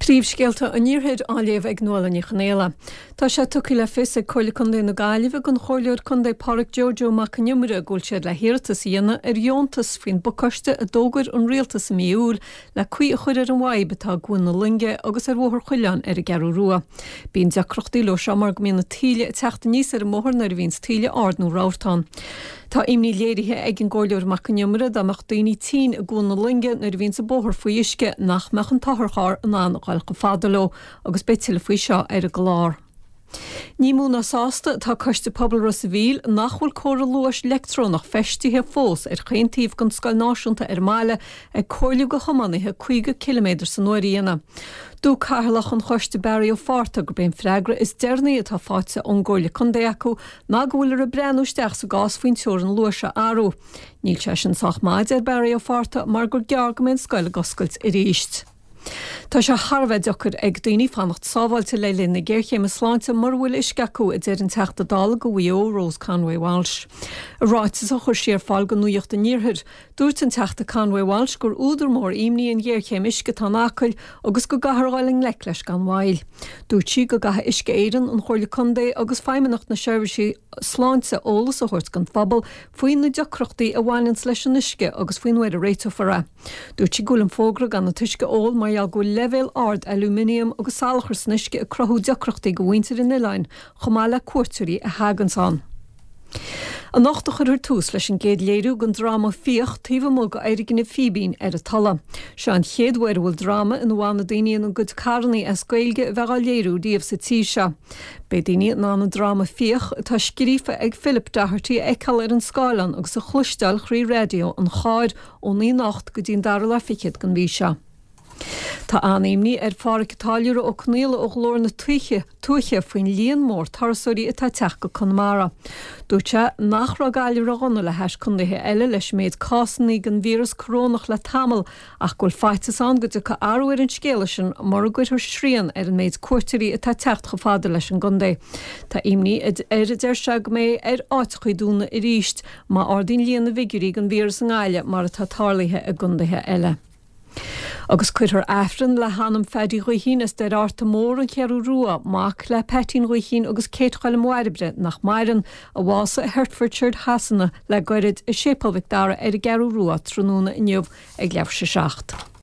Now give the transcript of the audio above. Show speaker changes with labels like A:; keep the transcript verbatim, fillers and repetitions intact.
A: Príomhscéalta an Iarthair á léamh ag Nuala Ní Chonaola. Tá sé tugtha le fios ag Comhairle Contae na Gaillimhe don Chomhairleoir Contae Pádraic Joe Joe Mac an Iomaire go bhfuil siad le hiarratas a dhéanamh ar dheontas faoin bpacáiste a d'fhógair an rialtas i mí Iúil le caoi a chur ar an bhfadhb atá i gCuan na Loinge agus ar Bhóthar Choileáin ar an gCeathrú Rua. Bíonn deacrachtaí leo seo mar go mbíonn na taoille ag teacht aníos ar an mbóthar nuair a bhíonns taoille ard nó rabharta ann. Tá imní léirithe ag an gComhairleoir Mac an Iomaire dá mbeadh daoine tinn i gCuan na Loinge nuair a bhíonns an bóthar faoi uisce nach mbeadh an t-otharcharr in ann a dhul chomh fada leo agus beidh tuilleadh faoi seo ar an gclár. Ní mó ná sásta atá Coiste Pobail Ros a' Mhíl nach bhfuil comhartha luais leictreonach feistithe fós ar chaon taobh den scoil náisiúnta ar an mbaile ag comhairliú do thiománaithe caoga ciliméadar san uair a dhéanamh. Dúirt Cathaoirleach an Choiste Barry Ó Fátharta gurb é an freagra is deireanaí atá faighte ón gComhairle Contae acu ná go bhfuiltear ag breathnú isteach sa gcás faoin teorainn luais a athrú. Níl sé sin sách maith, a deir Barry Ó Fátharta, mar gur gearr go mbeidh an scoil ag oscailt arís. Tá sé thar a bheith deacair ag daoine fanacht sábháilte le linn na géarchéime sláinte mura bhfuil uisce acu, a deir an Teachta Dála do Mhaigh Eo, Rose Conway Walsh. I ráiteas a chuir sí ar fáil do Nuacht an Iarthair, dúirt an Teachta Conway Walsh gur údar mór imní an ghéarchéim uisce atá in Acaill agus go gcaithfear a dhul i ngleic leis gan mhoill. Dúirt sí go gcaithfidh Uisce Éireann, an Chomhairle Contae agus Feidhmeannacht na Seirbhísí Sláinte eolas a thabhairt don phobal faoi na deacrachtaí a bhaineanns leis an uisce agus faoin uair a réiteofar é. Dúirt sí go bhfuil an fógra gan an t-uisce a ól mar gheall go bhfuil leibhéal ard alúminiam agus salachar san uisce ag cruthú deacrachtaí do mhuintir an oileáin chomh maith le cuairteoirí a thaganns ann. Anocht a chuirfear tús leis an gcéad léiriú den dráma Fiach taobh amuigh d'fhoirgneamh Fíbín ar an Tulaigh. Seo an chéad uair a bhfuil dráma ina bhfanfaidh daoine ina gcuid carrannaí as Gaeilge a bheith á léiriú riamh sa tír seo. Beidh daoine in ann an dráma Fiach, atá scríofa ag Philip Doherty, a fheiceáil ar an scáileán agus a chloisteáil thrí raidió an chairr ón naoi anocht go dtí an dara lá fichead den mhí seo. Tá an-imní ar Phádhraic a' Táilliúra Ó Conaola ó Ghlór na Tuaithe Tuaithe faoin líon mór turasóirí atá ag teacht go Conamara. Dúirt sé nach raibh Gaillimh ródhona le hais contaetha eile leis an méid cásanna den víreas corónach le tamall ach go bhfuil faitíos ann go dtiocfaidh athrú ar an scéala sin mura gcuirfear srian ar an méid cuairteoirí atá ag teacht chomh fada leis an gcontae. Tá imní air a deir sé go mbeidh ar áiteachaí dúnadh arís má ardaíonn líon na bhfigiúirí den víreas i nGaillimh mar atá tarlaithe i gcontaetha eile. Agus cuirfear Aifreann le hanam Phaddy Ghaoithín as Doire Fhearta Mór, An Cheathrú Rua, mac le Peaitín Gaoithín agus Kate Choilm Bhairbre, nach maireann, a bhásaigh i Hertfordshire Shasana le goirid, i Séipéal Mhic Dara ar an gCeathrú Rua tráthnóna inniu ag leathuair tar éis a seacht.